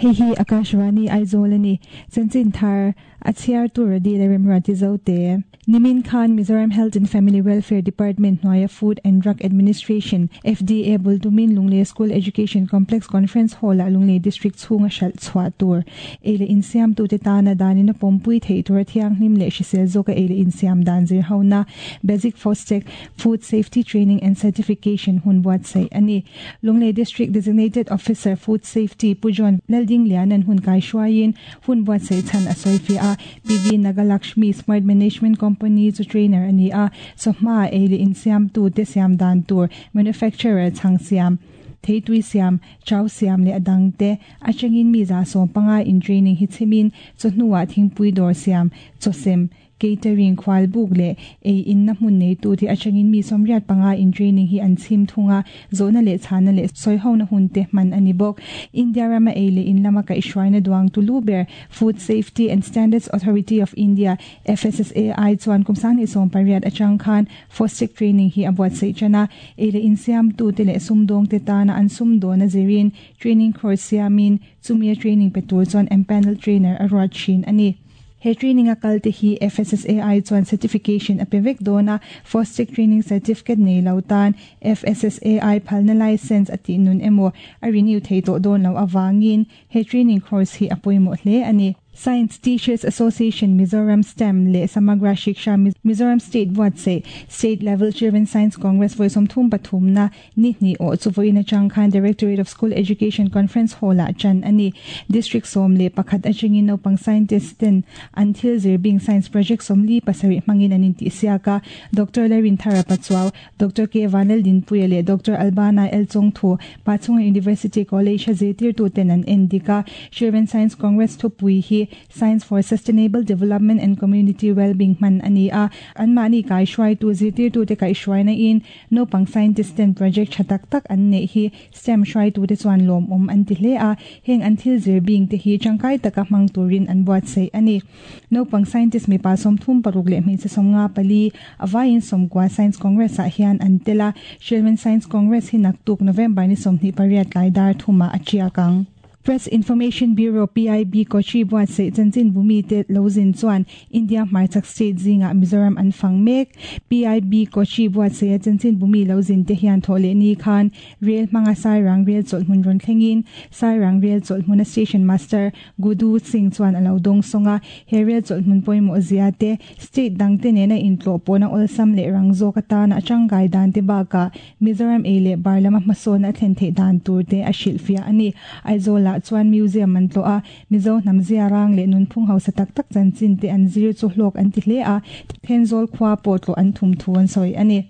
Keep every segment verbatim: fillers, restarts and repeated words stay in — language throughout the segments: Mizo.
Hei hi Akashvani Aizawl a ni. Chanchin thar a chhiar tur a dil a remruati Zote. Nimin khan Mizoram Health and Family Welfare Department hnuaia Food and Drug Administration, F D A, bul tumin Lunglei School Education Complex Conference Hall-ah Lunglei District chhunga hralh chhuah tur ei leh insiamtute tana danin a pawmpui theih tura thianghlim leh hrisel zawka ei leh insiam dan zir hona Basic Fostech Food Safety Training and Certification hun buatsaih a ni. Lunglei District Designated Officer Food Safety Pu John Laldingliana'n hun kaihruaiin hun buatsaih chhan a sawi fiah a. P V Nagalakshmi Smart Management Company chu trainer a ni a, chawhma ei leh insiamtute siam dan tur manufacturer chhang siam, theitui siam, chau siam leh a dangte atangin mi za sawm panga in training hi chhimin chawhnuah thingpui dawr siam, chawsem, catering, khual buk leh ei inna hmun neitu te atangin mi sawmriat panga in training hi an chhim thung a, zawhna leh chhana leh sawiho hun te hman a ni bawk. India rama ei leh in lama kaihhruaina duang tulu ber Food Safety and Standards Authority of India, F S S A I chuan kum sanghnih sawm pariat atang khan Fostech training hi a buatsaih tana ei leh insiam tu te leh sumdawng te tana an sumdawn a zirin training course siamin chumi a training pe tur chuan empanel trainer a ruat thin a ni. He training a kal te hi F S S A I chuan certification a pe vek dawna Fostech training certificate nei lo tan F S S A I phalna license ati nun emaw a renew thei tawh dawn lo awangin he training course hi a pawimawh hle a ni. Science Teachers Association Mizoram STEM leh Samagra Shiksha Mizoram State buatsaih State Level Children Science Congress vawi sawmthum pathum na ni hnih awh chu vawiin atang khan Directorate of School Education Conference Hall ah chan a ni. District sawm leh pakhat atangin naupang scientist ten an thil zirbing science project sawmli pasarih hmangin an intih siak a. Doctor Larin Thara Pachuau, Doctor K Vanel Dinpuia leh Doctor Albana El Chongthu, Pachhunga University College a zirtirtu ten an en dik a. Children Science Congress thupui hi Science for Sustainable Development and Community Wellbeing hman a ni a. An mahni kaihruaitu zirtirtu te kaihruaina in naupang scientist ten project tha tak tak an neih hi STEM hruaitu te chuan lawm awm an ti hle a, heng an thil zirbing te hi tangkai taka hmang turin an buatsaih a ni. Naupang scientist mipa sawmthum paruk leh hmeichhe sawmnga pali awaiin sawmkua Science Congress ah hian an tel a. Children Science Congress hi naktuk November ni sawmhnih pariat tlai dar thuma a chiak ang. Press Information Bureau, P I B Kochi buatsaih chanchin bumi te lozin chuan India hmarchak state zinga Mizoram an fang mek. P I B Kochi buatsaih chanchin bumi lozin te hian thole ni khan rail hmanga Sairang rail chawlhmun rawn thlengin Sairang rail chawlhmun a station master Gudu Singh chuan alo dawng sawnga. He rail chawlhmun pawimawh zia te, state dang te nena intlawh pawhna awlsam leh rang zawk atana atangkai dan te baka Mizoram ei leh bar lama hmasawn a thlen theih dan tur te a hrilhfiah a ni. Aizawl ah chuan museum an tlawh a, Mizo hnam zia rang leh nunphung hausa tak tak chanchin te an zir chu hlawk an ti hle a, Thenzawl khua pawh tlawh an thum thu an sawi a ni.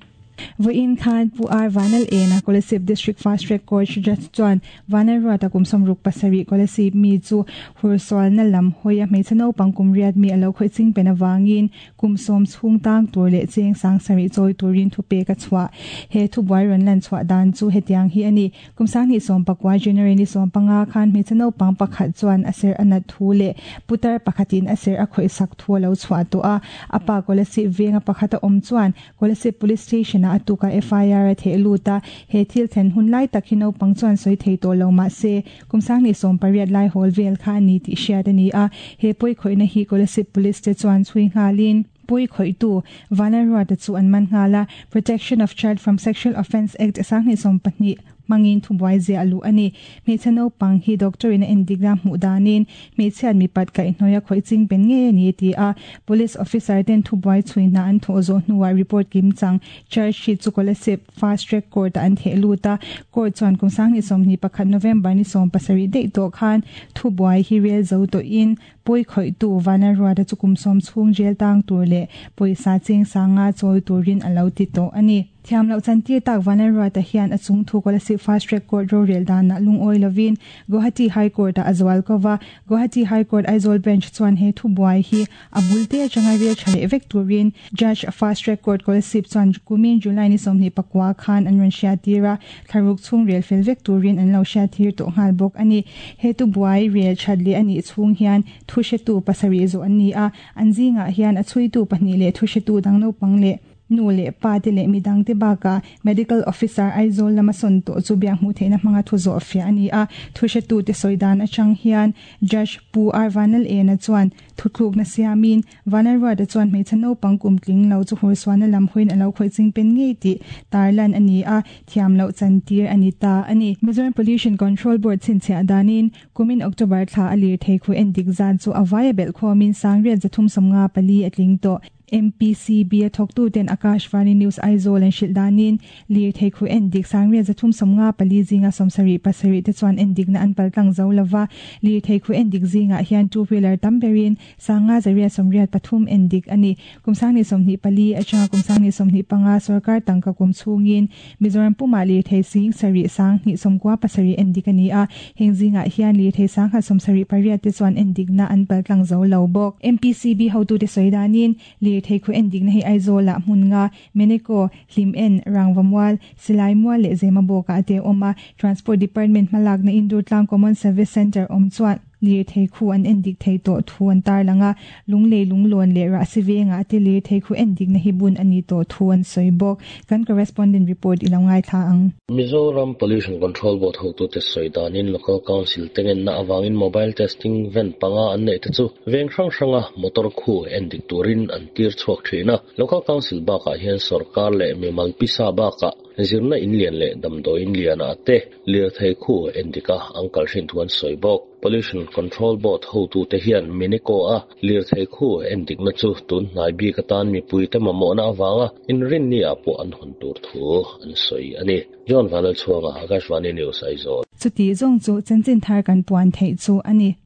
Vawiin khan Pu R Vanal ena Kolasib District Fast Track Court judge chuan Vanal Ruata kum sawmruk pasarih Kolasib mi chu hursual na lam hawia hmeichhe naupang kum riat mi alo khawih ching pen awangin kum sawm chhung tang tur leh cheng sang sarih chawi turin thu pek a chhuah. He thu buai rawn lan chhuah dan chu hetiang hi a ni. Kum sanghnih sawm pakua January ni sawm panga khan hmeichhe naupang pakhat chuan a ser a nat thu leh putar pakhatin a ser a khawih sak thu alo chhuah tawh a. Apa Kolasib venga pakhat a awm chuan Kolasib Police Station a atuka F I R a theh lut a. He thil thlen hun lai tak hi naupang chuan sawi thei tawh lo mah se kum sanghnih sawm pariat lai hawl vel kha ani tih hriat a ni a. He pawi khawihna hi Kolasib Police te chuan chhui nghalin pawi khawihtu Vanal Ruata chu an man nghala. Protection of Child from Sexual Offence Act sanghnih sawm pahnih mangin thubuai zia alu ani. Hmeichhe naupang hi doctor in a endik na hmuh danin hmeichhiat mipat kaihhnawih a khawih ching pen nge ani ti a. Police officer ten thubuai chhuina an thawh zawh hnuah report kim chang charge sheet chu Kolasib Fast Track Court an theh lut a. Court chuan kum sanghnih sawmhnih pakhat November ni sawm pasarih daih tawh khan thubuai hi rel zo tawh in pawi khawihtu Vanal Ruata chu kum sawm chhung jail tang tur leh pawisa cheng sanga chawi turin alo ti tawh ani. Thiam loh chantir tak Vanal Ruata hian a chung thu Kolasib Fast Track Court ro rel dan na lungawi lovin Guwahati High Court a azwal kowa. Guwahati High Court Aizawl Bench chuan he thu buai hi a bulte atanga rel thale vek turin Judge Fast Track Court Kolasib chuan kumin July ni sawmhnih pakua khan an rawn hriat tira thlaruk chhung rel fel vek turin an lo hriat thir tawh nghal bawk ani. He thu buai rel thatle ani chhung hian thu hretu pasarih zawh an ni a, an zingah hian a chhuitu pahnih leh thu hretu dang naupang leh Nu leh pa te leh midang te baka medical officer Aizawl lama sawn tawh chu biak hmuh theihna hmanga thu zawh fiah a ni a. Thuhretu te sawi dan atang hian Judge Pu R Vanlal Ena chuan thuthlukna siamin Vanlalruata chuan hmeichhe naupang kum tling lo chu hursualna lam hawiin a lo khawih chingpen ngei tih tarlan a ni a, thiam loh chantir a ni ta a ni. Mizoram Pollution Control Board chhinchhiah danin kumin October thla a lirthei khu endik zan chu a vaia belh khawmin sangriat zathum sawmnga pali a tling tawh. M P C B a thawktu ten Akashvani News Aizawl an hrilh danin lirthei khu endik sangriat zathum sawmnga pali zinga sawmsarih pasarih te chuan endikna an paltlang zo lova. Lirthei khu endik zingah hian two wheeler tam berin sanga zariat sawmriat pathum endik ani. Kum sangni sawmhnih pali atanga kum sangni sawmhnih panga sarkar tangka kum chhungin Mizoram puma lirthei sing sarih sang hnih sawmkua pasarih endik ani a. Heng zingah hian lirthei sangkhat sawmsarih pariat te chuan endikna an paltlang zo lo bawk. M P C B hotu te sawi danin lirthei khu endikna hi Aizawl ah hmun nga Meneko, Hlim En, Rangvamual, Silaimual leh Zemabawk ah te awm a. Transport Department hmalakna Indurtlang Common Service Centre awm chuan lirthei khu an endik thei tawh thu an tarlang a. Lunglei, Lunglawn leh Rahsi venga te lirthei khu endikna hi bun ani tawh thu an sawi bawk. Kan correspondent report i lo ngaithla ang. Mizoram Pollution Control Board hotu te sawi danin Local Council tengen na awangin mobile testing van panga an nei te chu veng hrang hranga motor khu endik turin an tir chhuak thina. Local Council bakah hian sarkar leh mimal pisa bakah zirna in lian leh damdawiin lian a te lirthei khu endika an kal hrin thu an sawi bawk. Pollution Control Board hotu te hian Meneko a lirthei khu endikna chu tun hnai bik atan mipui te mamawhna awanga inrin ni ah pawh an hawn tur thu an sawi ani. John Vanlalchhuanga, Akashvani News, Aizawl. Chuti zawng chu chanchin thar kan puan theih chu ani.